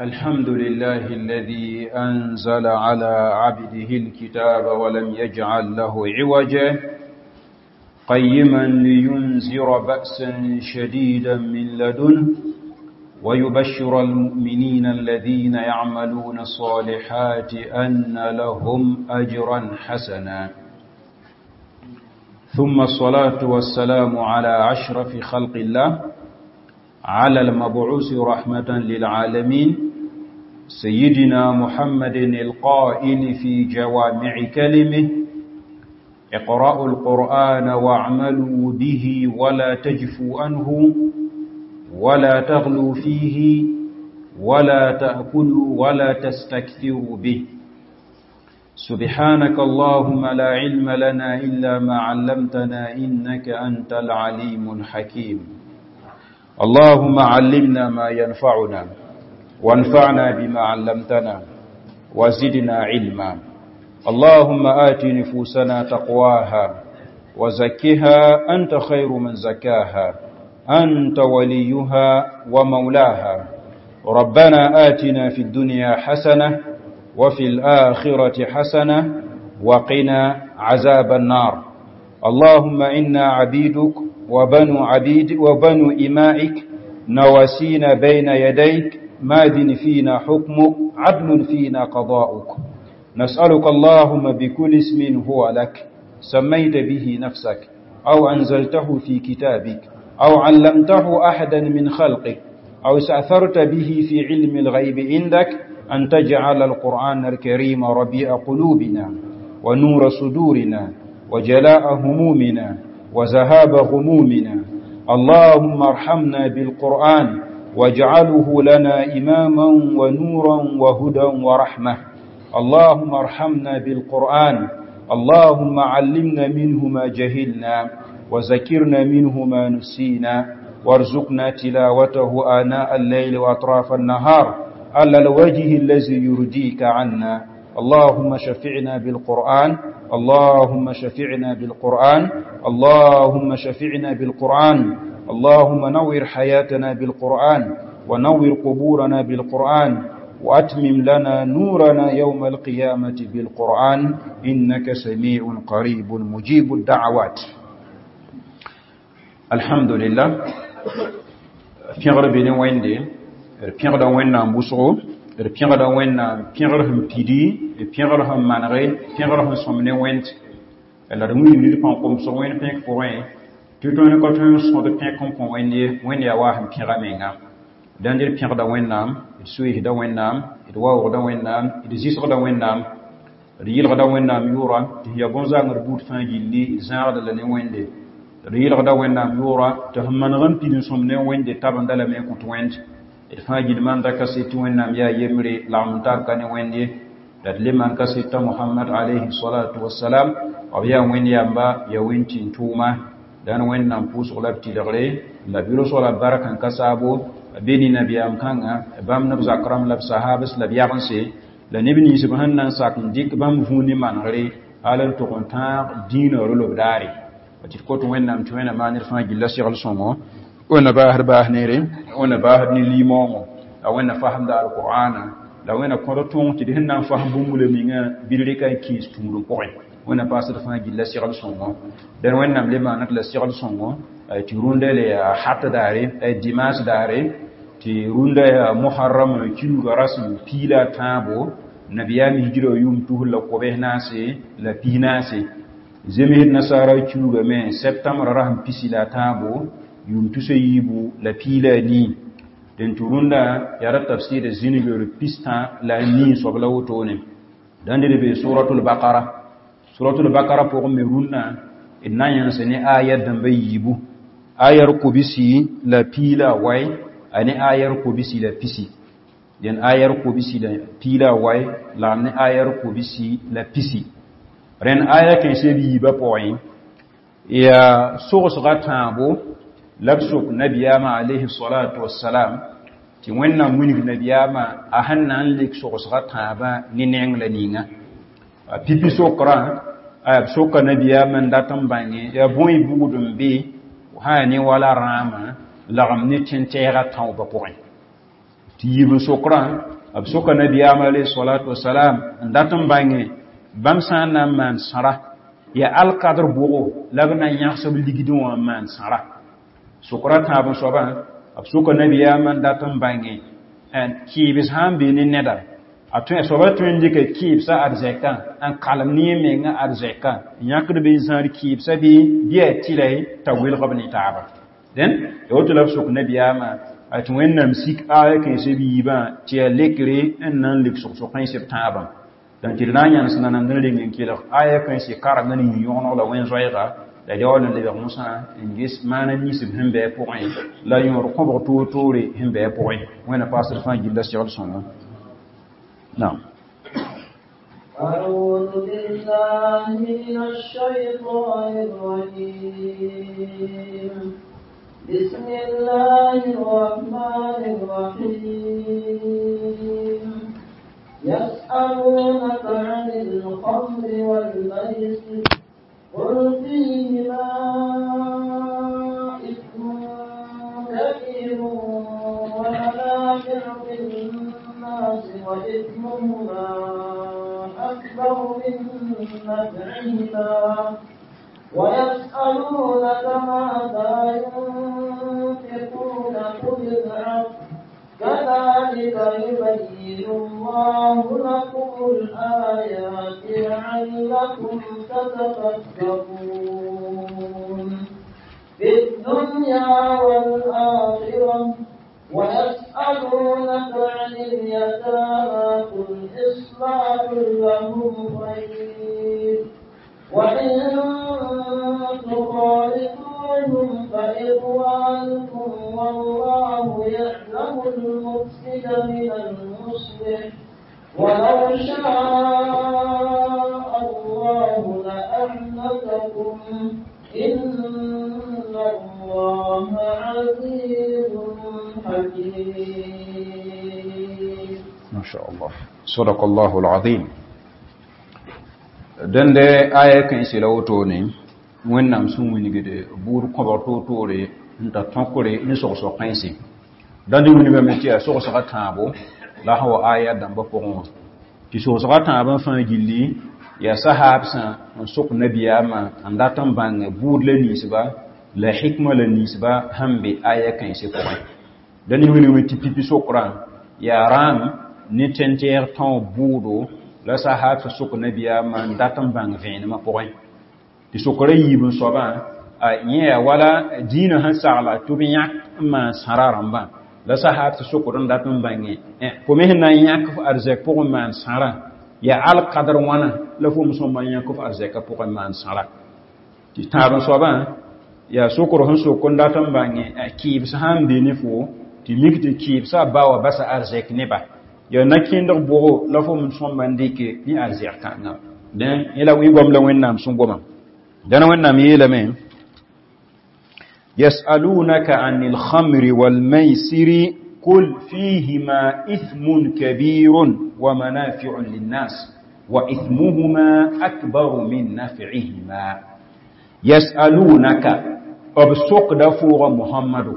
الحمد لله الذي أنزل على عبده الكتاب ولم يجعل له عوجا، قيما لينذر بأسا شديدا من لدنه ويبشر المؤمنين الذين يعملون الصالحات أن لهم أجرا حسنا. ثم الصلاة والسلام على أشرف خلق الله، على المبعوث رحمة للعالمين، سيدنا محمد القائل في جوامع كلمه: اقرأوا القرآن واعملوا به ولا تجفوا عنه ولا تغلوا فيه ولا تأكلوا ولا تستكثروا به. سبحانك اللهم لا علم لنا إلا ما علمتنا إنك أنت العليم الحكيم. اللهم علمنا ما ينفعنا وانفعنا بما علمتنا وزدنا علما. اللهم آت نفوسنا تقواها وزكها أنت خير من زكاها، أنت وليها ومولاها. ربنا آتنا في الدنيا حسنة وفي الآخرة حسنة وقنا عذاب النار. اللهم إنا عبيدك وبنو عبيد وبنو إمائك، نواسينا بين يديك، ماض فينا حكمك، عدل فينا قضاؤك. نسألك اللهم بكل اسم هو لك سميت به نفسك، أو أنزلته في كتابك، أو علمته أحدا من خلقك، أو استأثرت به في علم الغيب عندك، أن تجعل القرآن الكريم ربيع قلوبنا ونور صدورنا وجلاء همومنا وذهاب غمومنا. اللهم ارحمنا بالقرآن واجعله لنا إماما ونورا وهدى ورحمة. اللهم ارحمنا بالقرآن، اللهم علمنا منه ما جهلنا وذكرنا منه ما نسينا، وارزقنا تلاوته آناء الليل وأطراف النهار على الوجه الذي يرضيك عنا. اللهم شفعنا بالقرآن، اللهم شفعنا بالقرآن، اللهم شفعنا بالقرآن. اللهم نور حياتنا بالقرآن، ونور قبورنا بالقرآن، وأتمم لنا نورنا يوم القيامة بالقرآن، إنك سميع قريب مجيب الدعوات. الحمد لله. pẽgr be ne wẽnde, d pẽgda Wẽnnaam wʋsgo, d pẽgda Wẽnnaam pẽgr sẽn pidi, d pẽgr sẽn manege, pẽgr sẽn sõm ne wẽnd, la d wilg ned pãn komsg wẽnd pẽk pʋgẽ, tɩ tõnd ka tõe n sõd pẽk n kõ Wẽnd ye. Wẽnd yaa waa sẽn pẽga menga. Dãnd d pẽgda Wẽnnaam, d soeesda Wẽnnaam, d waoogda Wẽnnaam, d zɩsgda Wẽnnaam, d yɩlgda Wẽnnaam yʋʋra tɩ sẽn yaa bõn-zãngr buud fãa gilli d zãagda la ne Wẽnde. D yɩlgda Wẽnnaam yʋʋra tɩ sẽn maneg n pid n sõm ne Wẽnde tabenda lame n kõt Wẽnd. D fãa gill manda kaset tɩ Wẽnnaam yaa yembre lagm n tar ka ne Wẽnd ye. La d le maan kaset t'a Mohamad alayhi salatu wasalam b yaa Wẽnd yamba, yaa Wẽnd tĩn-tʋʋma. Dãn Wẽnnaam pʋʋsg la b tɩlgre la b yʋlsg la b bark n ka saabo be ne nabiyaam kãngã, bãmb ne b zak rãmb la b sahabs la b yagense la neb nins b sẽn na n sak n dɩk bãmb vũu ne manegre hal n tʋg n tãag dĩinã rel-b daare. Tɩ d kot Wẽnnaam tɩ Wẽnnaam maan ned fãa gilla segl sõngo, Wẽnna baasd baas neere, Wẽnna baasd ne limaoongõ, la Wẽnna fasemda alqur'ana, la Wẽnna kõd tõog tɩ d sẽn na n fasem bũmb la mingã bɩ d rɩka n kĩis tũudem pʋgẽ. Wẽnna paasd fãa gilla segl sõngo. Dẽn Wẽnnaam le maanad la segl sõngo tɩ rũndã le yaa hat daare, dimanche daare, tɩ rũndã yaa Muharram kiuugã rasem piila tãabo, nabiyaam hijra yʋʋm 1444. Zemsd nasaara kiuugã me septembre rasem pisi la tãabo, yʋʋm 2014. Dẽn tɩ rũndã yaa ra tafsɩɩd zĩnigr 64 soab la wotone. Dãnd d bee suratul Bakara. Suratul Bakara pʋgẽ me rũndã d na n yãnsa ne aya dãmba yiibu, ayar kobisi la piila wai a ne ayar kobisi la pisi. Dẽn ayar kobisi la piila wai la ne ayar kobisi la pisi. Rẽnd aya kãensã b yiibã pʋgẽ yaa sogsga tãabo la b sok nabiyaamã alayhi salatu wassalam, tɩ Wẽnnaam wilg nabiyaamã a sẽn na n lik sogsga tãabã ne neng la ninga. Pipi sokrã b soka nabiyaamã n dat n bãnge yaa bõe bugd n be sã ne wala rãamã lagem ne tẽn-tɛɛgã tãoobã pʋgẽ. Tɩ yiib n sokrã b soka nabiyaam alayhi salatu wasalam n dat n bãnge bãmb sã n na n maan sãra yaa alkadr bʋgo la b na n yãgs b ligdẽ wã n maan sãra. Sokra tãab n soabã b soka nabiyaam n dat n bãnge kɩɩbs sã n be ne neda a tõe soaba tõe n dɩka kɩɩbsã arzɛkã n kalem ne yẽ mengã arzɛkã n yãkd bɩ n zãad kɩɩbsã bɩ a tɩlɛ t'a welg b ne taaba. Dẽn ya woto la b sok nabiyaamã a tɩ Wẽnnaam sik aya kãens b yiibã tɩ yaa lekre n na n lik sog-sog kãens b tãabã. Donc tɩ d na n yãnes nanamd n reng n kelg aya kãens kareng n yĩ yõgeneg la wẽn-zoɛɛga la d yaool n lebg mosã n ges maana ninsb sẽn bɩ a pʋgẽ la yõod kõbg toor-toore sẽn bɩ a pʋgẽ. Wẽnna paasd fãa gilla segl sõngo. نعم. أعوذ بالله من الشيطان الرجيم. بسم الله الرحمن الرحيم. يسألونك عن الخمر والميسر قل فيهما إثم كبير ومنافع للناس وإثمهما أكبر من نفعهما ويسألونك ماذا ينفقون قل العفو كذلك يبين الله لكم الآيات لعلكم تتفكرون في الدنيا والآخرة. ويسألونك عن اليتامى قل إصلاح لهم خير وإن تخالطوهم فإخوانكم والله يعلم المفسد من المصلح ولو شاء الله لأعنتكم إن الله عزيز حكيم. ما شاء الله صدق الله العظيم. Dẽnde aya kãense la wotone Wẽnnaam sẽn wilgd buud kõbg toor-toore n ta tõkre ne sogsg kãense dãnd wilgame tɩ yaa sogsga tãabo la sã wa aya dãmbã pʋgẽ wã tɩ sogsga tãabã fãa gilli yaa sahaabsã n sok nabiyaamã n dat n bãng buud la ninsba la hikma la ninsba sẽn be aya kãense pʋgẽ. Dãnd wilgame tɩ pipi sokrã yaa rãam ne tẽn-tɛɛg tão bʋʋdo la sahaabsã sok nabiyaamã n dat n bãng vẽenemã pʋgẽ. Tɩ sokra yiib n soabã yẽ yaa wala dĩinã sẽn sagla tɩ b yãk n maan sãra rãmbã la sahaabsã sokd n dat n bãnge fo me sẽn na n yãk f arzɛk pʋgẽ maan sãrã yaa alkadr wãna la fo me sõma n yãk f arzɛkã pʋgẽ maan sãra. Tɩ tãab n soabã yaa sokr sẽn sok n dat n bãnge kɩɩbs sã n be ne fo tɩ mik tɩ kɩɩbsã ba wa basa arzɛk neba yaa na-kẽndg bʋgo la fo me sõma n dɩke ne arzɛk kãngã. Dẽ yẽ la goam la Wẽnnaam sẽn goma. Dãna Wẽnnaam yeelame يسألونك عن الخمر والميسر قل فيهما إثم كبير ومنافع للناس وإثمهما أكبر من نفعهما. يسألونك أبسوق دفور محمد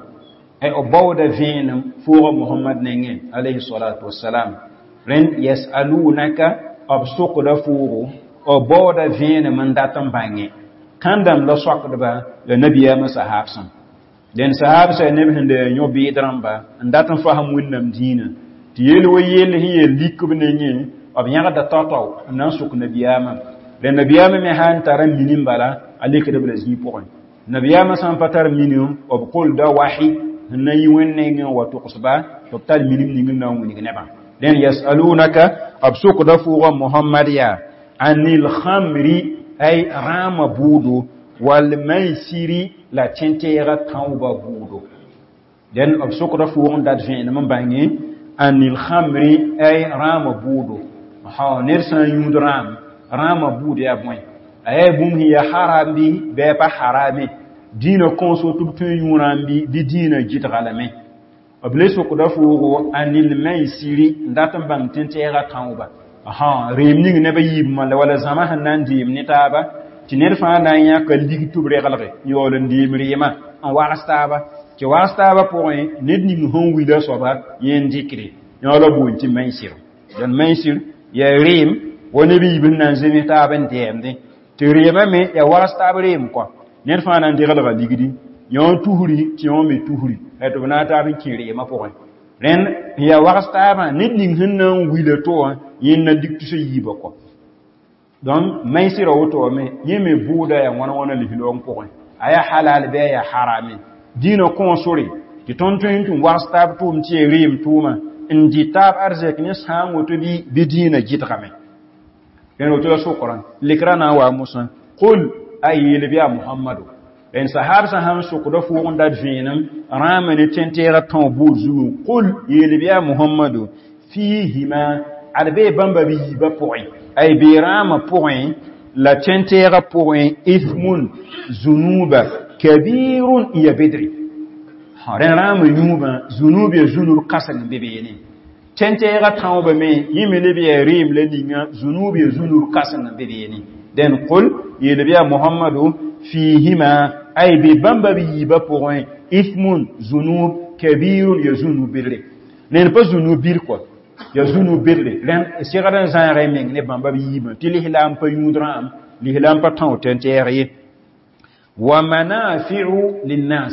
أي أبود فين فور محمد نين عليه الصلاة والسلام. رن يسألونك أبسوق دفور أبود فين من داتن باني kãndame la soakdba la nabiyaamã sahaabsã. Dẽn sahaabsã yaa neb sẽn da yõ bɩɩd rãmba n dat n fasem Wẽnnaam dĩinã tɩ yeel wa yell sẽn yeel lik b nengẽ b yãgda tao-tao n na n sok nabiyaamã. La nabiyaamã me sã n tara minim bala a lekd b la zĩig pʋgẽ. Nabiyaamã sã n pa tar minim b kolda wahi sẽn na n yi Wẽnd nengẽ n wa togsba tɩ b tar minim ning n na n wilg nebã. Dẽn yasalunaka b sokda fʋʋga Mohamad yaa anil khamri ay rãamã bʋʋdo wal maisiri la tẽn-tɛɛgã tãoobã bʋʋdo. Dẽn b sokda fʋʋg n dat vẽenem n bãnge anil khamri ay rãamã bʋʋdo. Ned sã n yũud rãam rãamã bʋʋd yaa bõe a yaa bũmb sẽn yaa haram bɩ bɩ a pa harame dĩinã kõoso tɩ b tõe n yũ rãam bɩ bɩ dĩinã gɩdga lame. B le sokda fʋʋgo anil maisiri n dat n bãng tẽn-tɛɛgã tãoobã. Reem ning neb a yiibmã la wala zãma sẽn na n deem ne taaba tɩ ned fãa na n yãka lig tɩ b reglge n yaool n deem reemã n wags taaba Tɩ waas taabã pʋgẽ ned ning sẽn wila soaba yẽ n dɩkre yõ la boond tɩ maisir dẽn maisir yaa reem wa neb yiib sẽn na n zems taab n dɛɛmdẽ tɩ reemã me yaa waas taab reem kɔa ned fãa na n degelga ligdi yõ tusri tɩ yõ me tusri tɩ b na n taab n kẽ reemã pʋgẽ rẽnd n yaa wags taabã ned ning sẽn na n wila to wã yẽ n na dik tus a yiibã kɔ donc maisirã woto wã me yẽ me bʋʋda yaa wãna wãna lislaoong pʋgẽ a yaa halal bɩ a yaa harame dĩinã kõ sore tɩ tõnd tõe n tũ wags taab tʋʋm tɩ yaa reem tʋʋma n dɩ taab arzɛk ne sãam woto bɩ dĩinã gɩdgame rẽnd woto la sokrã lekrã na n wa mosã qul a yeel bɩ yaa muhammado rẽnd sahab sã sãn sokda fʋʋg n dat vẽenem rãamã ne tẽn-tɛɛgã tão buud zugu qul yeel bɩ yaa muhammado fiihima ad bee bãmba b yiibã pʋgẽ ay bee rãamã pʋgẽ la tẽn-tɛɛgã pʋgẽ ithmun zunuba kabirun n ya bedre rẽnd rãamã yũubã zunub ya zunub kãseng n be beene tẽn-tɛɛgã tãoobã me yẽ me leb yaa reem la ninga zunub ya zunub kãseng n be beene dẽn qul yeel bɩ yaa muhammado fiihima ay be bãmba b yiibã pʋgẽ ithmun zunub kabirun ya zunub bedre ned pa zunub bir kɔa ya zunub bedre rẽnd segd n zãaga y meng ne bãmba b yiibã tɩ lislaam pa yũud rãam lislaam pa tão tẽn-tɛɛg ye wa manafiu linnas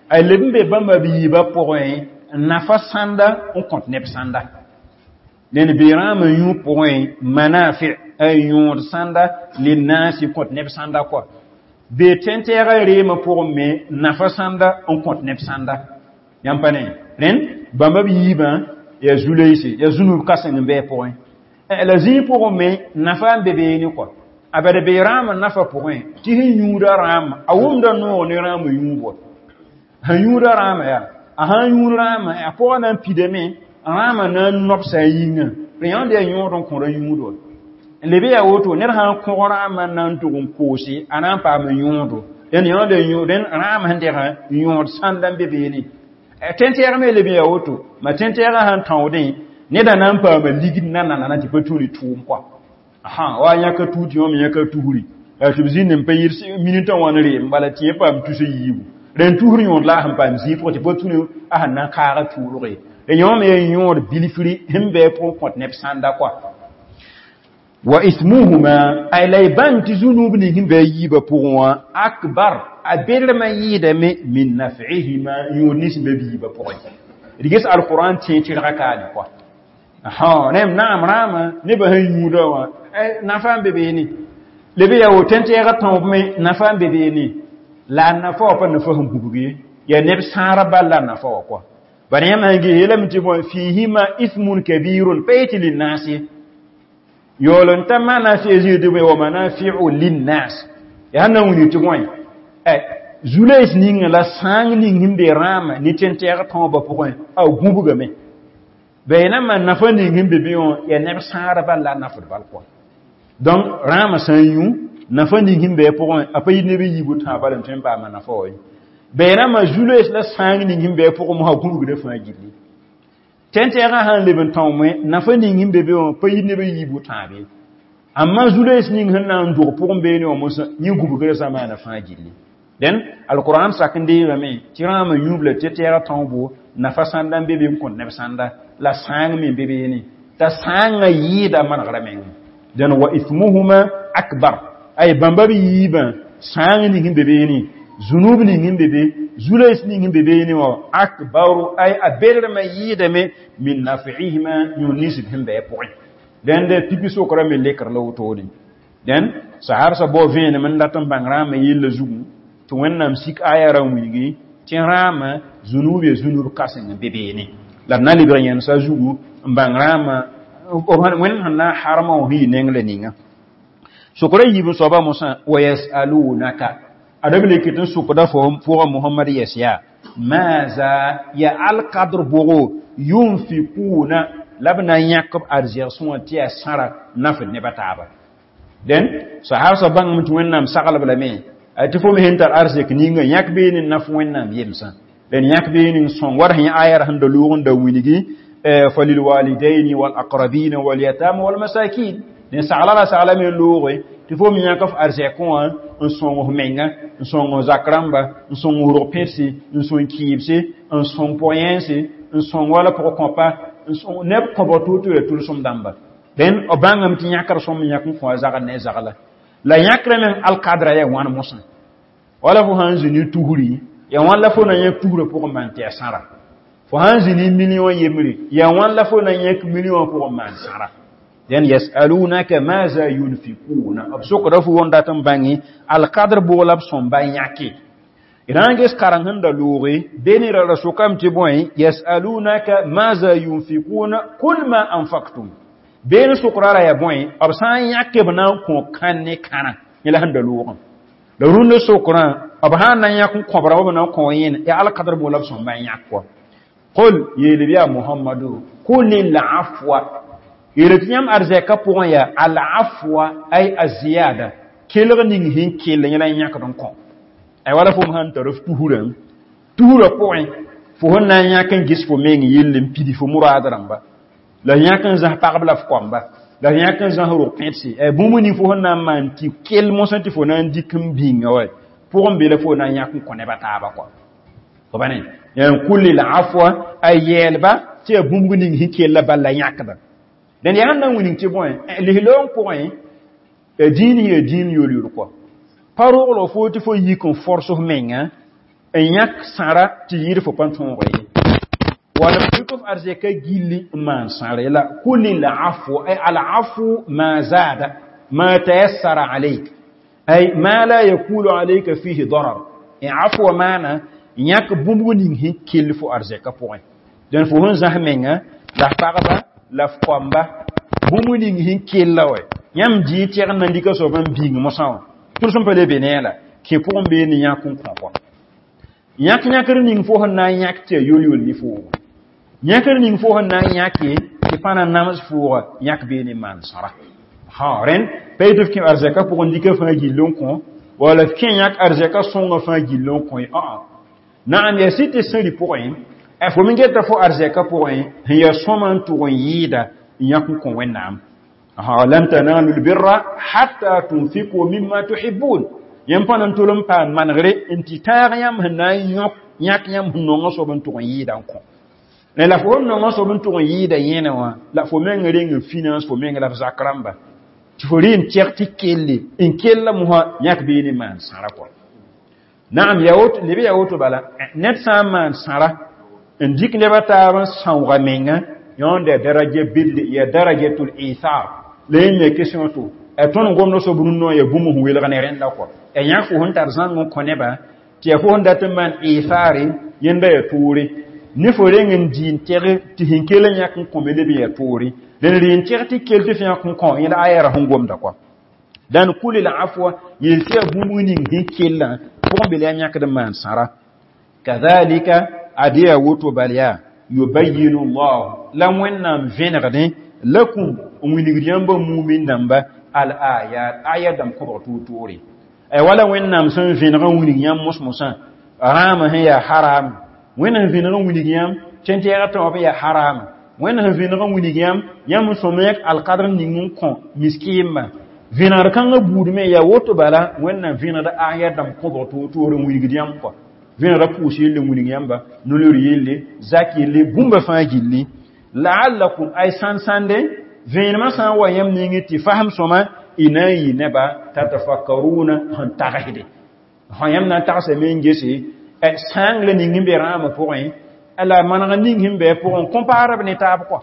ay leb n be bãmba b yiibã pʋgẽ nafa sãnda n kõt neb sãnda ned be rãamã yũ pʋgẽ manafi ay yõod sãnda linnasi kõt neb sãnda kɔa be tẽn-tɛɛgã reemã pʋgẽ me nafa sãnda n kõt neb sãnda yãmb pa ne rẽnd bãmba b yiibã yaa zu-loeese yaa zunub kãseng n bɩ pʋgẽ la zĩig pʋgẽ me nafa n be beene kɔa a bad be rãamã nafa pʋgẽ tɩ sẽn yũuda rãamã a wʋmda noog ne rãamã yũub sẽn yũuda rãamã yaa a sãn yũud rãamã a pʋgã na n pidame rãamã na n nobsa a yĩngã rẽ yãnd yaa yõod n kõra yũud wa leb yaa woto ned sãn kõg rãamã na n tʋg n koose a na n paam yõodo dẽnd yãnd rẽnd rãamã sẽn degã yõod sãnda n be beene tẽn-tɛɛg me leb yaa woto ma tẽn-tɛɛgã sãn tãoodẽ neda na n paama ligd na nanana tɩ pa tũ ne tʋʋm kɔa wa yãka tuut yõ me yãka tusri tɩ b zĩnd n pa yɩr minitã wã n reem bala tɩ yẽ paam tus a yiibu rẽnd tusr yõod la a sẽn paam zĩig pʋgẽ tɩ pa tũ ne a sẽn na n kaaga tuulge rẽ yõ me yaa yõod bilfri sẽn bɩ a pʋgẽ kõt neb sãnda kɔa wa ithmuhuma ay la y bãng tɩ zunub ning sẽn bɩ a yiibã pʋgẽ wã akbar a bedrmã yɩɩdame min naf'ihima yõod nins sẽn be b yiibã pʋgẽ d ges alquran tẽ tɩrga kaane kɔa rẽm naam rãamã nebã sẽn yũuda wã nafa n be beene leb yaa wo tẽn-tɛɛgã tõob me nafa n be beene la a nafa wã pa nafa sẽn gubg ye yaa neb sãara bal la a nafa wã kɔa bala yãmb sãn ges yeelame tɩ bõe fiihima ithmun kabirun pa yetɩ linnas ye yaool n ta manafi zĩig tɩ bõe wa manafiu linnas yaa sẽn na n wilg tɩ bõe zu-loees ninga la sãang ning sẽn be rãamã ne tẽn-tɛɛg tõobã pʋgẽ a gũbgame bɩ na nafa ning sẽn be be wã yaa neb sãara bal la a nafd bal kɔa donc rãamã sã n yũ nafa ning sẽn be a pʋgẽ a pa yit neb n yiib tãa bal n tõe n paama nafa wa ye bɩ na ma zu-loees la sãang ning sẽn be a pʋgẽ mosã gũbgdã fãa gilli tẽn-tɛɛgã sãn leb n tõome nafa ning sẽn be be wã pa yit neb n yiib tãabe amma zu-loees ning sẽn na n dog pʋgẽ beene wã mosã yẽ gũbgrã sã maana fãa gilli dẽn alquran sak n deegame tɩ rãamã yũub la tɩ-tɛɛgã tõobo nafa sãnda n be be n kõt neb sãnda la sãang me n be beene t'a sãangã yɩɩda manegrã meng dẽn wa ithmuhuma akbar ay bãmba b yiibã sãang ning sẽn be beene zunub ning sẽn be be zu-loees ning sẽn be beene wã akbaru ay a bedrmã yɩɩdame min naf'ihima yõod ninsb sẽn bɩ a pʋgẽ dẽnd pipi sokrã me lekr la wotone dẽn sahabsã bao vẽenem n dat n bãng rãamã yella zugu tɩ wẽnnaam sik aya ra n wilgi tɩ rãamã zunub ya zunub kãseng n be beene la d na lebg yẽnsa zugu n bãng rãamã wẽnd sẽn na n harmã wã sẽn yɩ neng la ninga sokra yiib n soaba mosã wa yasalunaka ad b lek tɩ n sokda pʋgã muhammad yɛs yaa maaza ya alkadr bʋgo yunfikuna la b na n yãk b arzɛgsẽ wã tɩ yaa sãra nafd neb a taaba dẽn sahabsã bãngame tɩ wẽnnaam saglb lame tɩ fo me sẽn tar arzɛk ninga yãk beene n naf wẽnnaam yemsã dẽn yãk beene n sõng war sẽn aya ra sẽn da loog n da wilgi falilwalidaini walaqrabina walyatama walmasakin dẽn sagla la sagla me n looge tɩ Tɩ fo me yãk f arzɛkẽ wã n sõng f menga, n sõng f zak rãmba, n sõng f rog pẽdse, n sõng kɩɩbse, n sõng pʋg-yẽense, n sõng wala pʋg-kõpa, n sõng neb kõbg tʋʋ-tʋ ya tʋlsem dãmba. Dẽn b bãngame tɩ yãkr sõm yãk n kõ a zagl ne zagla. La yãkrã meng alkadra yaa wãn mosã. Wala fo sãn zĩ ne tusri, yaa wãn la fo na yãk tusrã pʋgẽ maan tɩ ya sãra. Fo sãn zĩ ne million yembre, yaa wãn la fo na yãk million pʋgẽ maan sãra. Den yasalunaka maza yunfikuna. B sokda fo wõn dat n bãnge alkadr bʋg la b sõmba yãke. Rãnges kareng sẽn da looge beni ra ra sokame tɩ bõe yasalunaka maza yunfikuna kul ma anfaktum. Been sokra ra yaa bõe b sã n yãke b na n kõ kãn ne kãra yẽla sẽn da loogã. La rũndã sokrã b sã n na n yãk n kõbra b na n kõ yẽne yaa alkadr bʋg la b sõmba n yãk kɔa. Qul yeel b yaa Muhammadu qul afwa yeel tɩ yãmb arzɛka pʋgẽ yaa al-afwa ay aziyada kelg ning sẽn kell yẽla n yãkd n kõ. Ay wala fo sãn tar f tusrã tusrã pʋgẽ fo sẽn na n yãk n ges fo meng yell n pidi fo muraad rãmba. La yãk n zãs pagb la f koamba, la yãk n zãs rog pẽdse. Bũmb ning fo sẽn na n maan tɩ kell mosã tɩ fo na n dɩk n bĩnga wa pʋgẽ be la fo na n yãk n kõ neb a taaba kɔa. Fo ba ne n kul afwa a yɛɛlba tɩ yaa bũmb ning sẽn kella bal la yãkda. Dẽn yaa sẽn na n wilg tɩ bõe lislaoong pʋgẽ dĩin yaa dĩin yol-yol kɔa. Pa roglg fo tɩ fo yik n fors f menga n yãk sãra tɩ yɩɩd fo pa tõog ye. Wala f f arzɛka gilli n maan sãra la kul afwa ay al afu ma zada ma tayassara alayk ay ma la yakulu alayka fihi darar. Afwa maana yãk bũmb ning sẽn kell fo arzɛka pʋgẽ. Dẽn fo sẽn zãs menga la f pagba la f koamba bũmb ning sẽn kella wa yãmb dɩ tɛgd na n dɩka soab n bĩng mosã wã tʋlsem pa le be ne la kẽ pʋgẽ bee ne yãk n kõ kɔa. Yãk yãkr ning fo sẽn na n yãk tɩ ya yol-yol ne foogo. Yãkr ning fo sẽn na n yãke tɩ pa na nams fooga yãk bee ne maan sãra. Ha rẽnd pa yetɩ f kẽ arzɛka pʋgẽ dɩka fãa gill n kõ wala f kẽ yãk arzɛka sõngã fãa gill n kõ ye. Aa naam yaa sɩ tɩ sẽri pʋgẽ fo me geta fo arzɛka pʋgẽ sẽn yaa sõma n tʋg n yɩɩda n yãk n kõ Wẽnnaam. Lan tanalu lbirra hatta tunfiku mimma tuhibbun. Yãmb pa na n tol n paam manegre n tɩ taag yãmb sẽn na n yõk yãk yãmb sẽn nongã soab n tʋg n yɩɩda n kõ. La fo sẽn nongã soab n tʋg n yɩɩda yẽne wã la fo meng reng n finance fo meng la f zak rãmba tɩ fo rɩ n tɛg tɩ kelle n kella mosã yãk bee ne maan sãra kɔa. Naam yaa woto leb yaa woto bala ned sã n maan sãra n dɩk neb a taab n sãooga menga yõnd yaa daraja belle yaa darajatul ithar. La yẽ me question to tõnd gomd soab rũnnã yaa bũmb sẽn welg ne rẽnda kɔa. Yãk fo sẽn tar zãng n kõ nebã tɩ yaa fo sẽn dat n maan ithare yẽnda yaa toore. Ne fo reng n dɩ n tɛg tɩ sẽn kell n yãk n kõme leb yaa toore. Dẽn rɩ n tɛg tɩ kell tɩ f yãk n kõ yẽla aya sẽn gomda kɔa. Dãn kul afwa yel tɩ yaa bũmb ning sẽn kellã pʋgẽ be la yãmb yãkd n maan sãra. Kadhalika ad yaa woto bal yaa yubayyinu llahu la Wẽnnaam vẽnegdẽ lakum n wilgd yãmba mumin dãmba al ayat aya dãmb kõbg tʋʋr-tʋʋre. Wala Wẽnnaam sẽn vẽneg n wilg yãmb mos-mosã rãamã sẽn yaa haram, Wẽnnaam vẽneg n wilg yãmb tẽn-tɛɛgã taob yaa haram, Wẽnnaam vẽneg n wilg yãmb yãmb n sõm yãk alkadr ning n kõ miskiimã. Vẽnegr kãngã buud me yaa woto bala Wẽnnaam vẽnegd aya dãmb kõbg tʋʋr-tʋʋr n wilgd yãmb kɔa. Vẽnegda pʋʋs yelle n wilg yãmba, no-loor yelle, zak yelle, bũmba fãa gilli. La'allakum ay sãn-sãnde vẽenemã sã n wa yãmb ningẽ tɩ fasem sõma y na n yɩ neba tatafakkaruna sẽn tagsde. Sã yãmb na n tagsame n gese sãang la ning n be rãamã pʋgẽ la maneg ning sẽn be pʋgẽ compare b ne taab kɔa.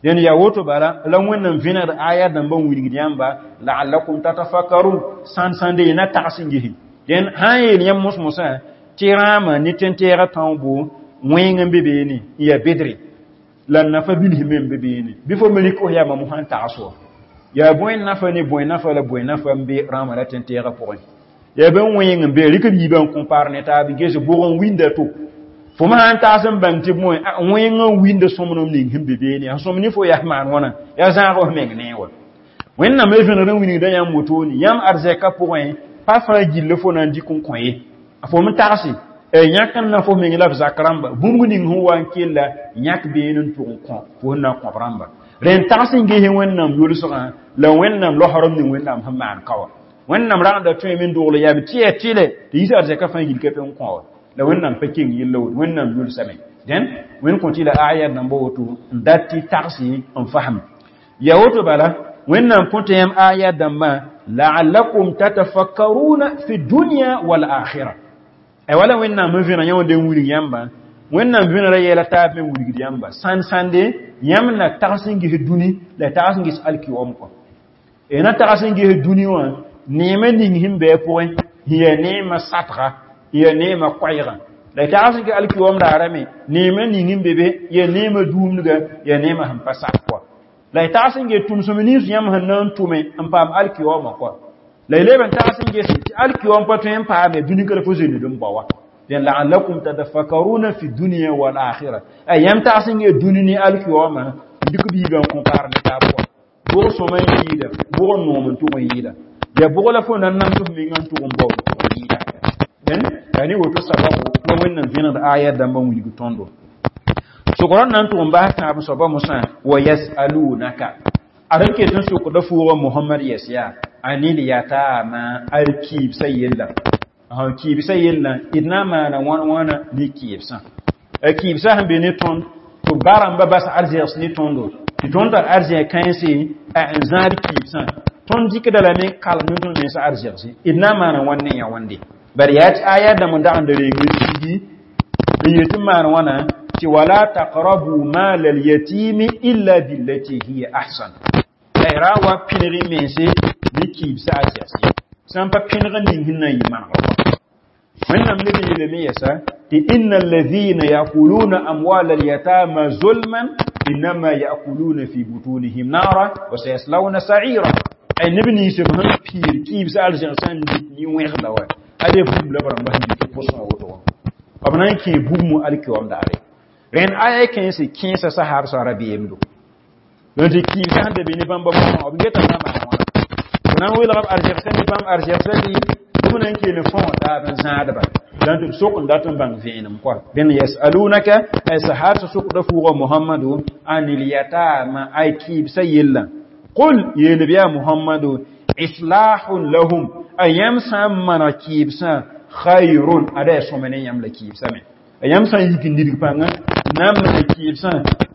Dẽn yaa woto bala la Wẽnnaam vẽnegd aya dãmbã n wilgd yãmba la'allakum tatafakkarun sãn-sãnde y na tags n gese. Dẽn sã n yeel yãmb mos-mosã tɩ rãamã ne tẽn-tɛɛgã tãoobo wẽng n be beene n yaa bedre la nafa bilsẽ me n be beene bɩ fo me rɩk f yaa mam sãn tags wa yaa bõe nafa ne bõe nafa la bõe nafa n be rãamã la tẽn-tɛɛgã pʋgẽ. Yaa bẽn wẽng n be rɩk b yiibã n compare ne taab n ges bʋg n winda to fo me sãn tags n bãng tɩ bõe wẽng n winda sõmnem ning sẽn be beene sẽn sõm ne fo yaa maan wãna yaa zãag f meng ne wa. Wẽnnaam me vẽnegd n wilgda yãmb wotone yãmb arzɛka pʋgẽ pa fãa gill fo na n dɩk n kõ ye. Fo me tagse yãk n na fo meng la f zak rãmba bũmb ning sẽn wa n kella yãk been n tʋg n kõ fo sẽn na n kõb rãmba. Rẽn tags n ges Wẽnnaam yʋlsgã la Wẽnnaam losorem ning Wẽnnaam sẽn maan ka wã. Wẽnnaam rãgda tõeme n dogl yaam tɩ yaa tɩlɛ tɩ yiis arzɛka fãa yil ka pe n kõ wa. La Wẽnnaam pa keng yella woto, Wẽnnaam yʋlsame. Dẽn Wẽnd kõ tɩ la aya dãmba woto n dat tɩ tagsi n fasem. Ya woto bala Wẽnnaam kõ tɩ yãmb aya dãmbã la'allakum tatafakkaruna fi dunya wal akhirah. Ay wala Wẽnnaam n vẽneg yã wã n wilg yãmba. Wẽnnaam vẽnegra yɛla taab me wilgd yãmba. Sãn-sãnde yãmb na tags n ges dũni la tags n ges alkiom kɔ. E na tags n ges dũni wã neemã ning sẽn be a pʋgẽ sẽn yaa neemã satga, yaa neemã koɛɛgã. La tags n ges alkiom daara me neemã ning sẽn be be yaa neemã duumdga, yaa neemã sẽn pa sat kɔ. La tags n ges tʋmsem nins yãmb sẽn na n tʋme n paam alkiomã kɔ. La y leb n tags n ges tɩ alkiom pa tõe n paame dũni ka la fo zoeend n bao wa. La'allakum tatafakkaruna fi dunya wal akhirah. Ay yãmb tags n ges dũni ne alkiomã dɩk biigã n compare ne taab kɔ. Bʋg sõma n yɩɩda, bʋg n noom n tʋg n yɩɩda. Ya bʋg la fo na n nams f mengã n tʋg n bao n tʋg n yɩɩda. Dẽn yaa ne woto sababu la Wẽnnaam vẽnegd aya dãmbã n wilg tõndo. Sokr n na n tʋg n bas tãab soaba mosã wa yasalunaka. Ad n ket n sokda fʋʋga Mohamad yɛs yaa anil yatama al kɩɩbsã yella. Kɩɩbsã yella d na n maana wãn wãna ne kɩɩbsã. A kɩɩbsã sẽn be ne tõnd tɩ b barãmbã bas arzɛgs ne tõndo. Tɩ tõnd tar arzɛg kãense n zãad kɩɩbsã. Tõnd dɩkda lame kalem ne tõnd mensã arzɛgse. D na n maana wãn ne yã wãnde. Bari yaa tɩ aya dãmb n dag n da reeng n sigi n yet n maan wãna tɩ wala taqrabu mal alyatimi illa billati hiya ahsan. La y ra wa pẽneg mense ne kɩɩbsã arzɛgse. Sã n pa pẽneg ning sẽn na n yɩ manegr wã. Wẽnnaam leb n yeelame yɛsa tɩ inna alladhina yakuluna amwal alyatama zulman innama yakuluna fi butunihim nara wa sayaslawna sa'ira. Ay neb nins b sẽn piir kɩɩbsã arzɛgsã n dɩt nin-wẽgda wa ade bugum la b rãmba sẽn dɩt pʋsgã woto wã. B na n kẽe bugmã alkiom daare. Rẽnd aya kẽense kẽesa sahaabsã rabeemdo. Donc tɩ kɩɩbsã sẽn da be ne bãmba bõmã b geta na maan wãna. B na n welg b arzɛgsã ne bãmb arzɛgsã tɩ b na n kell n fõo taab n zãadba. Donc b sok n dat n bãng vẽenem kɔa. Dẽn yasalunaka ay sahaabsã sokda fʋʋga Mohamadu anil yatama ay kɩɩbsã yella. Qul yeel b yaa Mohamadu islahun lahum a yãmb sã n maneg kɩɩbsã khayrun ada yaa sõma ne yãmb la kɩɩbsã me. A yãmb sã n yik n nidg pãnga na n maneg kɩɩbsã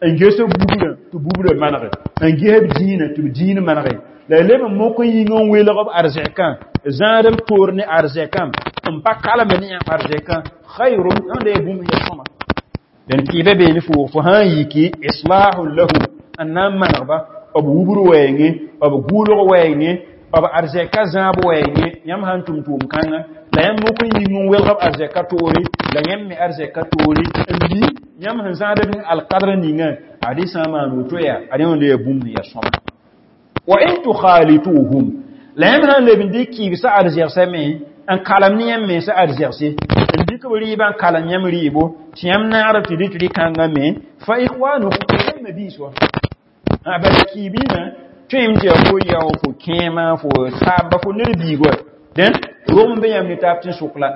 n ges b bubrã tɩ bubrã manege, n ges b dĩinã tɩ b dĩin manege. La leb n mok n yĩng n welg b arzɛkã, zãad b toor ne arzɛkã, n pa kalem ne yãmb arzɛkã khayrun ãnda yaa bũmb yaa sõma. Dẽn kɩɩbã bee ne fo sã n yiki islahun lahum n na n manegba b wubr wɛɛngẽ, b gʋʋlg wɛɛngẽ, b arzɛka zãab wɛɛngẽ. Yãmb sã n tʋm tʋʋm-kãngã la yãmb mok n yĩng n welg b arzɛka toore la yãmb me arzɛka toore n mi yãmb sẽn zãad b alkadr ninga ad sã n maan woto yaa ad yãmb yaa bũmb yaa sõma. Wa in tukhalituhum la yãmb sã n leb n dɩk kɩɩbsã arzɛgsã me n kalem ne yãmb mensã arzɛgse n dɩk b rɩɩbã n kalem yãmb rɩɩbo tɩ yãmb naagd tɩ dɩt rɩ-kãngã me fa ikhwanukum yãmb mabiis wã. Bala kɩɩbĩmã tõem tɩ yaa fo yao fo kẽema fo saamba fo ned biig wa. Dẽn rog n be yãmb ne taab tẽn-sʋk la.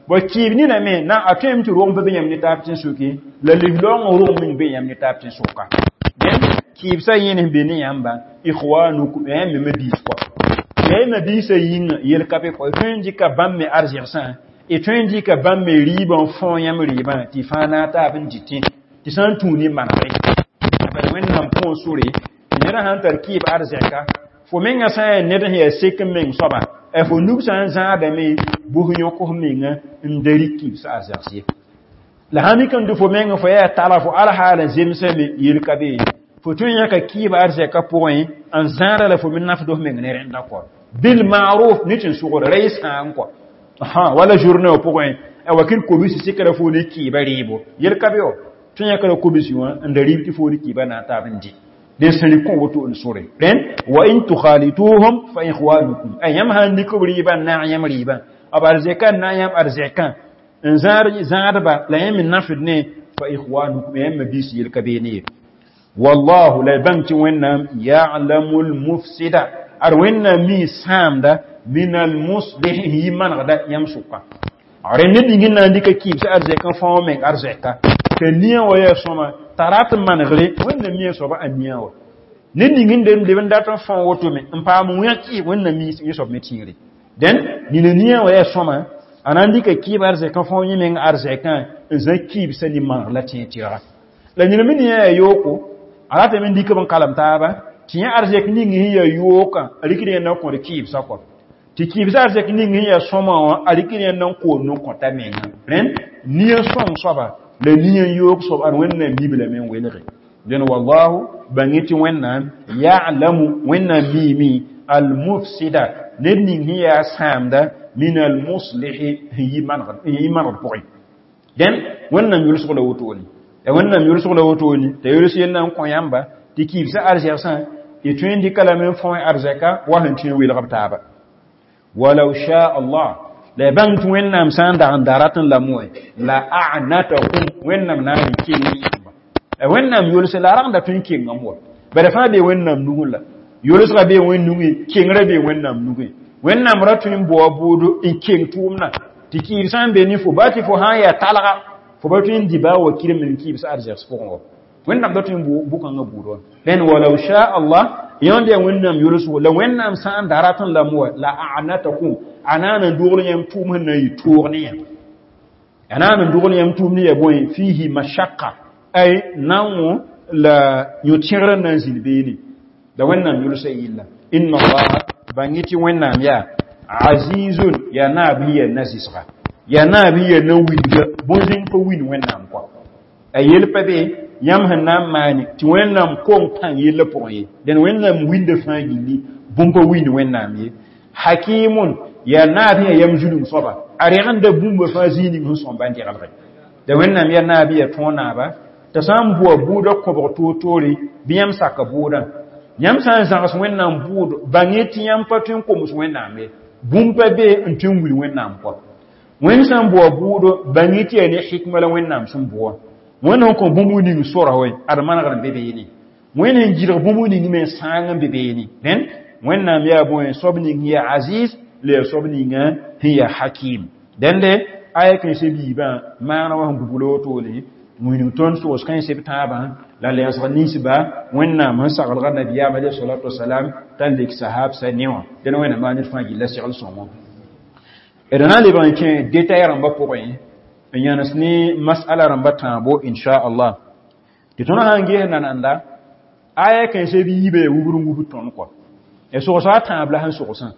Bõe kɩɩb nina me na a tõem tɩ rog n pa be yãmb ne taab tẽn-sʋki la liglaoongã rog meng be yãmb ne taab tẽn-sʋka. Dẽn kɩɩbsã yẽnes be ne yãmba ikhwanukum yãmb me mabiis kɔa. La y mabiisã yĩnga yel ka be kɔ. Y tõe n dɩka bãmb me arzɛgsã, y tõe n dɩka bãmb me rɩɩbã n fõ yãmb rɩɩbã tɩ fãa na n taab n dɩtẽ tɩ sã n tũu ne manegre. Bala Wẽnnaam põos sore tɩ ned sã n tar kɩɩb arzɛka fo mengã sã n yaa ned sẽn yaa sek n meng soaba fo nug sã n zãadame bʋs yõk f menga n da rɩk kɩɩbsã arzɛgs ye. La sã mik n dɩ fo mengã fo yaa tala fo alhaal n zemsame yel ka be fo tõe n yãka kɩɩb arzɛka pʋgẽ n zãada la fo me nafd f meng ne rẽnda kɔ. Bil ma'ruf ne tɩ sʋgr ra y sãan kɔ. Wala journée wã pʋgẽ a wakɩr kobisi sɩkra fo ne kɩɩbã rɩɩbo yel ka be wã. Tõe yãkra kobisi wã n da rɩɩb tɩ fo ne kɩɩbã na n taab n dɩ. Dẽn sẽn rɩk kõ woto n sore. Rẽn wa in tukhalituhum fa ikhwanukum ay yãmb sã n dɩk b rɩɩbã n naag yãmb rɩɩbã b arzɛka n naag yãmb arzɛkã n zãadba la yãmb me nafd ne fa ikhwanukum yãmb mabiis yel ka beene ye. Wallahu la bãng tɩ Wẽnnaam ya'lamu lmufsida ad Wẽnnaam mi sãamda min almuslih yɩ manegda yãmb sʋka. Rẽnd ned ning n na n dɩka kɩɩbsã arzɛk n fãoo meng arzɛka t'a nia wã yaa sõma t'a rat n manegre Wẽnnaam mi a soaba a nia wã. Ned ning n leb n dat n fão wotome n paam wẽg kɩɩb Wẽnnaam mi soab me tĩigre. Dẽn nina nia wã yaa sõma a na n dɩka kɩɩb arzɛk n fão yẽ meng arzɛkã n zã kɩɩbsã ne maneg la tẽeg tɩrga. La nina me nia yaa yooko a ratame n dɩk b n kalem taaba tɩ yẽ arzɛk ning sẽn yaa yookã a rɩkd yẽnd n kõd kɩɩbsã kɔ tɩ kɩɩbsã arzɛk ning sẽn yaa sõma wã a rɩkd yẽnd n koond n kõta menga. Rẽnd nia sõng soaba la nia n yoog soab ad Wẽnnaam mib lame n welge. Dẽn wallahu bãng tɩ Wẽnnaam ya'lamu Wẽnnaam miime al-mufsida ned ning sẽn yaa sãamda min al-muslihi sẽn yi manegd pʋgẽ. Dẽn Wẽnnaam yʋlsg la wotone. Ya Wẽnnaam yʋlsg la wotone t'a yols yella n kõ yãmba tɩ kɩɩbsã arzɛgsã tɩ tõe n dɩka lame n fão arzɛka wa sẽn tõe n welg b taaba. Walau sha Allah la bãng tɩ Wẽnnaam sã n dag n da rat n lame wã la a'natakum Wẽnnaam na n keng yãmba. Wẽnnaam yʋlse la a rag n da tõe n kengame wa bala fãa bee Wẽnnaam nugẽ la yʋlsga bee Wẽn nugẽ kengrã bee Wẽnnaam nugẽ. Wẽnnaam ra tõe n baoa bʋʋdo n keng tʋʋmdã tɩ kɩɩb sã n be ne fo baa tɩ fo sã n yaa talga fo pa tõe n dɩ baa wa kirem n kɩɩbs arzɛgs pʋgẽ wa. Wẽnnaam da tõe n bʋkãngã buud wã. Rẽnd walau sha Allah yãnd yaa Wẽnnaam yʋlsgo la Wẽnnaam sã n da rat n lame wa la a'natakum a naan n dogl yãmb tʋʋm sẽn na n yɩ toog ne yã. A naan n dogl yãmb tʋʋm ne yaa bõe fihi mashaqqa ay nawo la yõ-tẽgr n na n zĩnd beene. La Wẽnnaam yʋlsa yilla. Inna Allaha bãng tɩ Wẽnnaam yaa azizun yaa naab yaa na-zɩsga yaa naab yaa na-wilga bõn-zẽng pa win Wẽnnaam kɔa. A yel pa be yãmb sẽn na n maane tɩ Wẽnnaam kong pãng yellã pʋgẽ ye. Dẽn Wẽnnaam winda fãa gilli bũmb pa wind Wẽnnaam ye. Hakimun yaa naab sẽn yaa yam zulum soaba a rẽgenda bũmba fãa zĩig ning sẽn sõmba n dẽgelge. La Wẽnnaam yaa naab yaa tõog naaba t'a sã n boa bʋʋdã kõbg toor-toore bɩ yãmb saka bʋʋdã. Yãmb sã n zãgs Wẽnnaam bʋʋd bãng tɩ yãmb pa tõe n koms Wẽnnaam ye. Bũmb pa be n tõe n wil Wẽnnaam kɔ. Wẽnd sã n boa bʋʋdo bãng tɩ yaa ne hikma la Wẽnnaam sẽn boa. Wẽnd sẽn kõ bũmb ning sora wɛ ad manegr n be beene. Wẽnd sẽn gɩdg bũmb ning me sãang n be beene. Dẽn Wẽnnaam yaa bõe soab ning yaa aziz la yaa soab ninga sẽn yaa hakim. Dẽnde aya kãensã biibã maana wã sẽn bubl wotone wĩnug tõnd soos kãensb tãabã la lɛɛsg ninsba Wẽnnaam sẽn saglga nabiyaam alayhi salatu wasalam t'a lek sahabsã ne wã. Dẽn Wẽnnaam maa ned fãa gilla segl sõngo. D na n lebg n kẽ détail rãmbã pʋgẽ n yãnes ne masala rãmbã tãabo inchallah. Tɩ tõnd sã n ges nananda aya kãensã b yiibã yaa wubr n wubd tõnd kɔ. Ya sogsã a tãab la sẽn sogsã.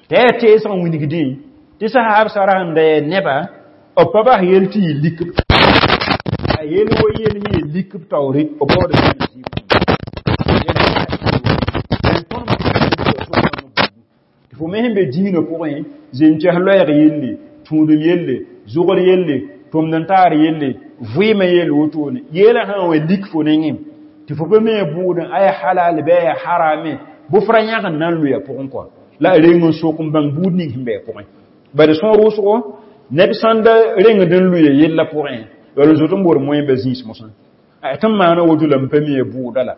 T'a yaa teesg n wingdẽ tɩ sahabsã ra sẽn da yaa neba b pa bas yel tɩ yɩ lik a yel wa yel sẽn yaa lik b taoore b baood tɩ fo me sẽn be dĩinã pʋgẽ zem-kɛs loɛɛg yelle tũudem yelle zʋgr yelle tʋmd n taar yelle vɩɩmã yelle wotone yeelã sã n wa lik fo nengẽ tɩ fo pa me bʋʋdẽ a yaa halal bɩ a yaa harame bʋ fra yãg n na n loya pʋgẽ kɔ la a reng n sok n bãng buud ning sẽn be a pʋgẽ. Bad sõor wʋsgo neb sãn da rengd n lʋya yellã pʋgẽ yaool n zot n bood moẽmba zĩis mosã. Tɩ n maana woto la m pa mi bʋʋda la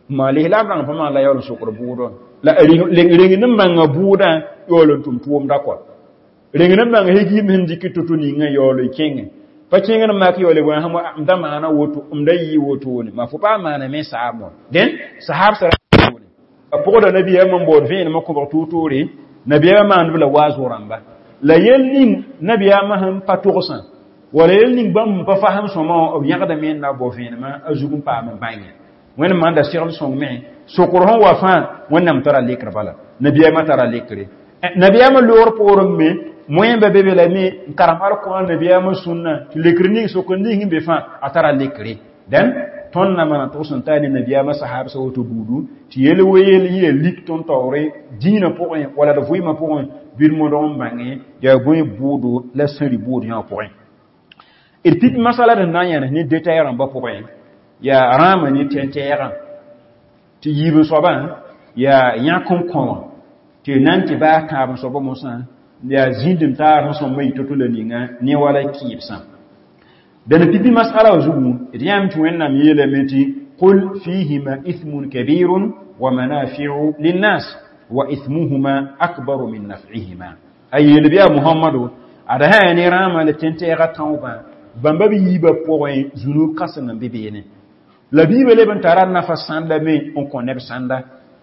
ma lislaam rãng pa maan la yaool n sokd bʋʋdã la rengd n bãnga bʋʋdã yaool n tʋm tʋʋmda kɔ. Rengd n bãnga hegim sẽn dɩk to-to ninga yaool n kẽngẽ pa kẽngd n mak yaool bõe m da maana woto m da yɩ wotone ma fo pa maana me saab wã. Dẽn sahabsã a pʋgda nabiyaamã n baood vẽenemã kõbg toor-toore nabiyaamã maand b la waaz rãmba. La yel ning nabiyaamã sẽn pa togsã wala yel ning bãmb pa fasem sõma wã b yãgdame n na bao vẽenemã a zug n paam n bãnge. Wẽnd maanda segl sõng me sokr sẽn wa fãa Wẽnnaam tara lekr bala nabiyaamã tara lekre. Nabiyaamã loogr poorẽ me moẽmba be be la me n karem alkõan nabiyaamã sũnna tɩ lekr ning sokr ning sẽn be fãa a tara lekre. Dẽn tõnd na maana tʋgs n taa ne nabiyaamã sahabsã woto buudu tɩ yel wa yel yẽ lik tõnd taoore dĩinã pʋgẽ wala d vɩɩmã pʋgẽ bɩ d modg n bãnge yaa bõe bʋʋdo la sẽn rɩ bʋʋd yã pʋgẽ. D pip masala d na n yãnes ne détail rãmbã pʋgẽ yaa rãamã ne tẽn-tɛɛgã tɩ yiib n soabã yaa yãk n kõ wã tɩ nan tɩ baa tãab n soabã mosã yaa zĩnd n taar sẽn sõmba yɩ to-to la ninga ne wala kɩɩbsã. Dẽn pipi masala wã zugu d yãame tɩ Wẽnnaam yeelame tɩ qul fihima ithmun kabirun wa manafi'u linnas wa ithmuhuma akbaru min naf'ihima. A yeel bɩ yaa Muhammadu ad sã yaa ne rãamã la tẽn-tɛɛgã tãoobã bãmba b yiibã pʋgẽ zunub kãseng n be beene. La Bible leb n tara nafa sãnda me n kõ neb sãnda.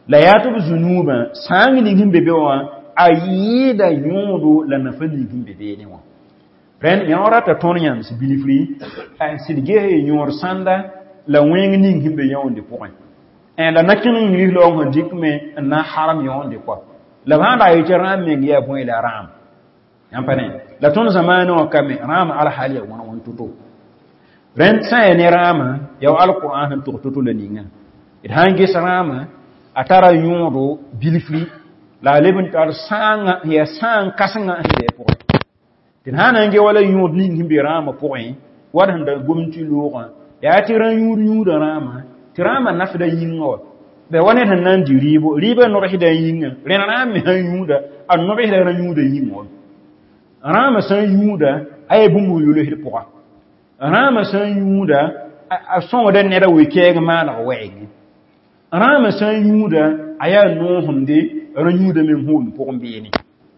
La yaa tɩ b zũnuubã sãang ning sẽn be be wã a yɩɩda yõodo la nafa ning sẽn be beene wã. Rẽnd yõ rata tõnd yãmb bilifri n sɩd ges yõod sãnda la wẽng ning sẽn be yõonde pʋgẽ. La na kẽng n yiis laoong sẽn dɩk me n na n harem yõonde kɔa. La b sãn ra yetɩ rãam meng yaa bõe la rãam. Yãmb pa ne la tõnd zamaanẽ wã ka me rãam alhal yaa wãn wãn to-to. Rẽnd sã n yaa ne rãamã yaa wa alqur'an sẽn tog to-to la ninga. D sã n ges rãamã a tara yõodo bilfri la a leb n tar sãangã yaa sãang kãsengã sẽn be a pʋgẽ. Tɩ d sã n na n ge wala yõod ning sẽn be rãamã pʋgẽ wat sẽn da gom tɩ loogã yaa tɩ rã yũud yũuda rãamã tɩ rãamã nafda yĩngã wa. Bɩ wa ned sẽn na n dɩ rɩɩbo rɩɩbã nobsda yĩngã rẽnd rãam me sã n yũuda a nobsda rã yũuda yĩngã wa. Rãamã sã n yũuda a yaa bũmb n yolsd pʋga. Rãamã sã n yũuda a sõngda neda wee-kɛɛg maaneg wɛɛngẽ. Rãamã sã n yũuda a yaa noosẽmde rã yũuda me n hoomd pʋgẽ beene.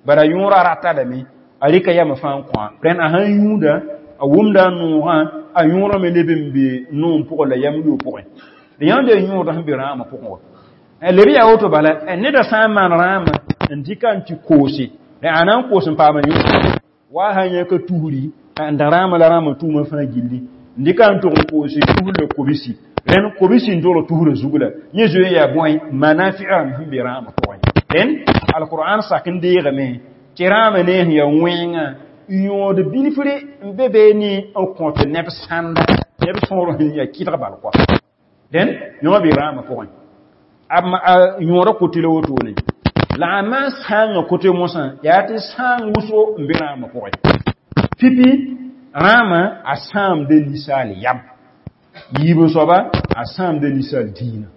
Bara yõorã rata lame a rɩka yamã fãa n kõ-a. Rẽnd a sã n yũuda a wʋmda a noogã a yõorã me leb n be noom pʋgẽ la yam yo pʋgẽ. D yãmb yaa yõodã sẽn be rãamã pʋgẽ wa. Leb yaa woto bala neda sã n maan rãamã n dɩka n tɩ koose a na n koos n paama yõod wa sã n yãka tusri n da rãamã la rãamã tʋʋmã fãa gilli n dɩka n tʋg n koose tusr la kobsi rẽnd kobsi n dogl tusrã zug la yẽ zoe n yaa bõe manafi'a sẽn be rãamã pʋgẽ. Rẽnd alqur'an sak n deegame tɩ rãamã ne sẽn yaa wẽngã yõod bilfre n be beene n kõt neb sãnda neb sõor sẽn yaa kɩdg bal kɔa. Rẽnd yõ be rãamã pʋgẽ. A yõoda kote la wotone. La a maan sãangã kote mosã yaa tɩ sãang wʋsgo n be rãamã pʋgẽ. Pipi rãamã a sãamda ninsaal yam. Yiib soaba a sãamda ninsaal diinã.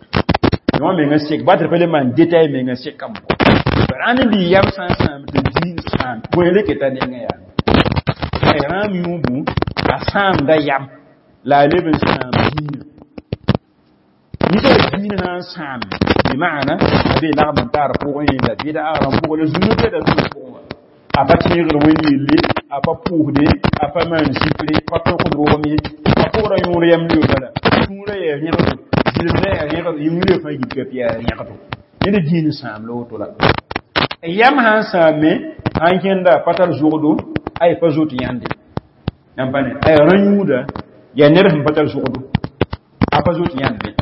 Yõ menga sek ba tɩ pa le maan détail menga sekame kɔ. Bara ne bi yam sã n sãam tɩ diin sãam bõe le keta nengã yaa. Rãam yũubu a sãamda yam la a leb n sãam diinã. Ninsaal diinã sã n sãame bi maana a be lagm n tar pʋgẽ la bɩda rãmb pʋgẽ la zũnu beda zũnu pʋgẽ wã. A pa tẽegr wẽnd yelle, a pa pʋʋsde, a pa maan zipre, pa tõkd roogem ye, a pʋgra yõor yam leo bala. Sũurã yaa rẽgdo, zɩlemdã yaa rẽgdo, yĩngr fãa yik tɩ yaa rẽgdo. Ned diin sãam la woto la. Yam sã n sãame, sã n kẽnda pa tar zogdo, ay pa zoet yãnde. Yãmb pa ne, ay rã yũuda yaa ned sẽn pa tar zogdo, a pa zoet yãnde.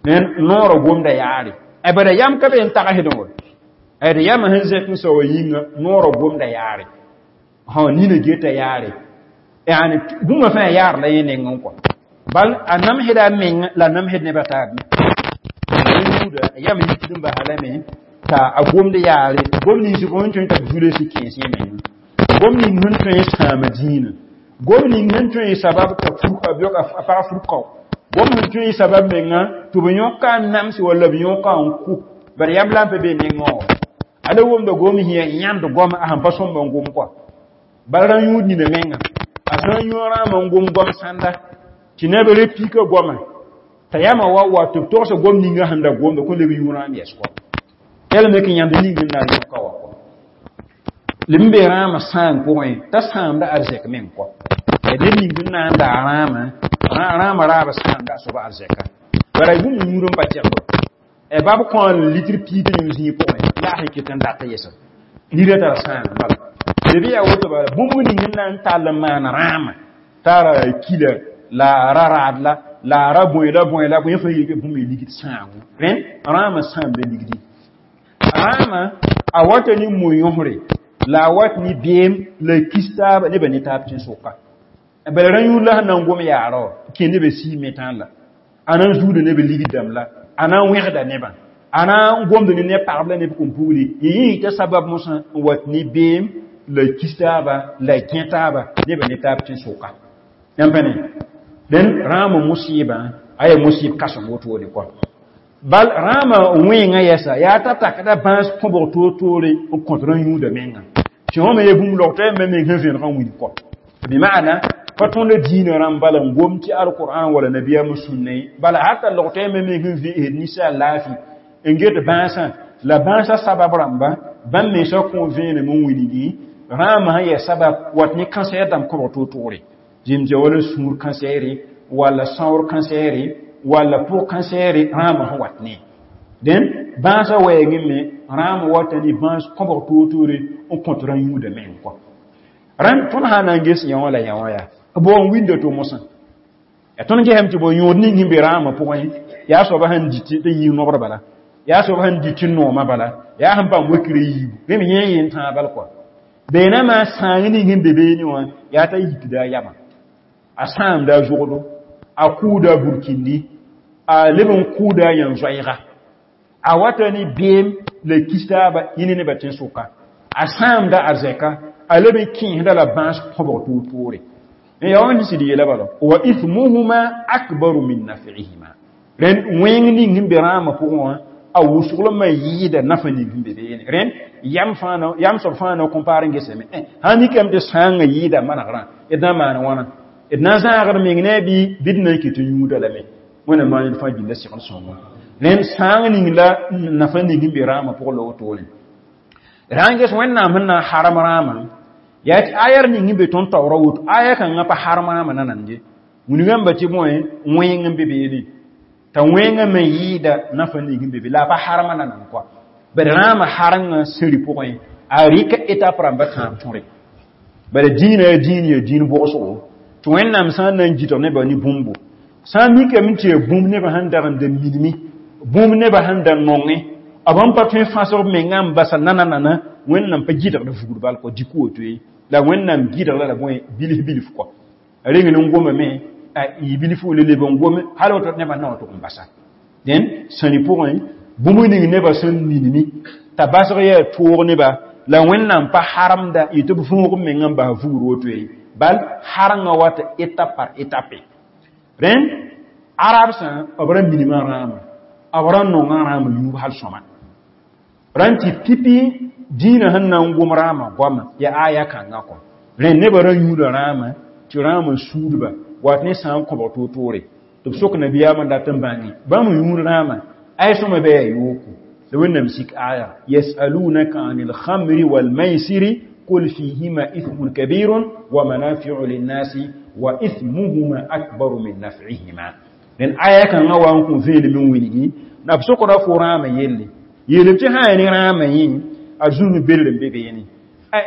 Ned noorã gomda yaare. Bara yam ka be n tagsdẽ wa. D yamã sẽn zẽk n sao yĩnga noorã gomda yaare. Nina geta yaare. Yani bũmba fãa yaar la yẽ nengẽ kɔ. Bal a namsda a meng la a namsd nebã taab me. Yũuda yam yikd n basa lame t'a a gomd yaare. Gom nins sẽn tõe t'a b zulsi kẽes yẽ menga. Gom ning sẽn tõe n sãama dĩinã. Gom ning sẽn tõe n sabab t'a a pag furkao. Gom sẽn tõe n sabab menga tɩ b yõka n namse walla b yõka n kʋ. Bara yam la n pa be nengẽ wã. A la wʋmda gom sẽn yaa yãnd goam a sẽn pa sõmb n gom kɔa. Bala rã yũud nina menga. A sã n yõ rãamã n gom goam sãnda tɩ neb re pika goamã t'a yamã wa wa tɩ b togsa gom ninga sẽn da gomda kõn leb yũ rãam yɛs kɔa. Yɛl me kɩ yãnd ning n na n yõka wa kɔa. Leb n be rãamã sãang pʋgẽ t'a sãamda arzɛk meng kɔa. Ned ning n na n daa rãamã, rãamã raabã sãamda a soaba arzɛka. Bara bũmb yũud n pa tɛgdo. Bab kõ litr piig yũ zĩig pʋgẽ la a sẽn ket n dat yɛsa. Nira tara sãang bala. Leb yaa woto bala bũmb ning n na n tall n maan rãamã tara kila la ra raad la la ra bõe la bõe la bõe fãa yel bũmb y ligd sãango. Rẽnd rãamã sãamda ligdi. Rãamã a wata ne mo-yõsre la a wat ne beem la kis taaba nebã ne taab tẽn-sʋka. Bala rã yũud la sẽn na n gom yaara wã kẽ nebã sii metãan la. A na n zuuda neb ligd dãmb la, a na n wẽgda nebã, a na n gomd ne neb pagb la neb kom-pugri. Yẽ yita sabab mosã n wat ne beem la kis taaba la gẽ taaba nebã ne taab tẽn-sʋka. Yãmb pa ne? Rẽnd rãamã musɩɩbã a yaa musɩɩb kãsem wotone kɔa. Bal rãamã wẽengã yɛsa yaa t'a takda bãas kõbg toor-toore n kõt rã yũuda menga. Tɩ wã me yaa bũmb log t'a yamba meng sẽn vẽneg n wilg kɔ. Bɩ maana pa tõnd diinã rãmb bala n gom tɩ alqur'an wala nabiyaamã sũnna ye. Bala hata log t'a yamba meng sẽn ve'esd ninsaal laafɩ n get bãasã la bãasã sabab rãmba bãmb mensã kõ vẽenem n wilgi rãamã sẽn yaa sabab wat ne kãnsɛɛr dãmb kõbg toor-toore. Zĩm wala sũur kãnsɛɛre wala sãoor kãnsɛɛre Walla pʋg kãseere rãamã sẽn wat ne dẽn bãasã wɛɛngẽ me rãam wata ne bãas kõbg toor-toore n kõt rã yũuda meng kɔ rãnd tõnd sã na n ges yã wã la yã wã yaa b wa n winda to mosã ya tõnd gesame tɩ bo yõod ning sẽn be rãamã pʋgẽ yaa soaba sẽn dɩt tɩ yĩng nobr bala yaa soaba sẽn dɩt tɩ noomã bala yaa sẽn paam wakirã yiibu rẽ me yẽ yen tãag bal kɔa beenamã sãang ning sẽn be beene wã yaa t'a yikda a yamã a sãamda a zogdo a kʋʋda a burkindi a leb n kʋʋda a yãn-zoɛɛga a wata ne beem la kis taaba yẽ nebã tẽn-sʋka a sãamda arzɛka a leb n kẽesda la bãas kõbg toor-toore ya wãn sɩd yeela bala wa ithmuhuma akbaru min naf'ihima rẽnd wẽng ning sẽn be rãamã pʋgẽ wã a wʋsglmã yɩɩda nafa ning sẽn be beene rẽnd yam fãa yam soab fãa na compaar n gesame sã mikame tɩ sãangã yɩɩda manegrã d na n maan wãna d na n zãagd meng ne a bɩ bɩ d na n kɩt n yũuda lame wẽnnaam maan ned fãa gilda segl sõngo rẽnd sãang ning la nafa ning sẽn be rãamã pʋgẽ la wotone rã n ges wẽnnaam sẽn na n harem rãamã yaa tɩ ayar ning sẽn be tõnd taoora woto aya kãngã pa harem rãamã nanande wilgãmba tɩ bõe wẽng n be beene t'a wẽngã me yɩɩda nafa ning sẽn be be la a pa harema nanan kɔa bad rãamã harengã sẽri pʋgẽ a rɩka étape rãmba tãab tõre bala dĩinã yaa dĩin yaa dĩin bʋgsgo tɩ wẽnnaam sã n na n gɩtg nebã ne bũmbo sã n mikame tɩ yaa bũmb nebã sẽn dag n da minime bũmb nebã sẽn da nongẽ b sẽn pa tõe n fãsg b mengã n basa nana-nana wẽnnaam pa gɩdgd vugr bal kɔ dɩk woto ye la wẽnnaam gɩdg la bõe bilf bilf kɔ a reng n gomame a y bilf le leb n gome hal woto nebã na wa tʋg n basa dẽn sãni pʋgẽ bũmb ning nebã sẽn minime t'a basg yaa toog neba la wẽnnaam pa haremda yetɩ b võog b mengã n bas vugr woto ye bal harengã wata étape par étape rẽnd arabsã b ra minimã rãama b ra nongã rãama yũub hal sõma rãn tɩ pipi dĩinã sẽn na n gom rãama goama yaa aya kãngã kɔ rẽnd nebã ra yũuda rãama tɩ rãama suudba wat ne sã n kõbg toor-toore tɩ b sok nabiyaamã dat n bãnge bãmb yũud rãama ay sõma bɩ yaa yooko la wẽnnaam sik aya yasalunaka an alkhamri walmaisiri قل فيهما إثم كبير ومنافع للناس وإثمهما أكبر من نفعهما لأن آية كان وان كون فيل من ويني نبسوك رفو راما يلي يلي تها يعني راما yin a zũnu bel n be beene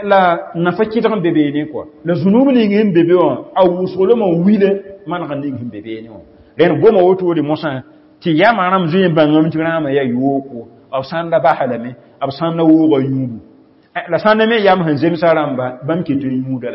la nafa kɩdg n be beene kɔa la zũnub ning sẽn be be wã a wʋsglmã wile maneg ning sẽn be beene wã rẽnd goma wotode mosã tɩ yamã rãmb zoe n bãngame tɩ rãamã yaa yooko b sãn da basa lame b sãn da wooga yũubu la sãn da me yam sẽn zemsa rãmba bãmb ket n yũuda lame.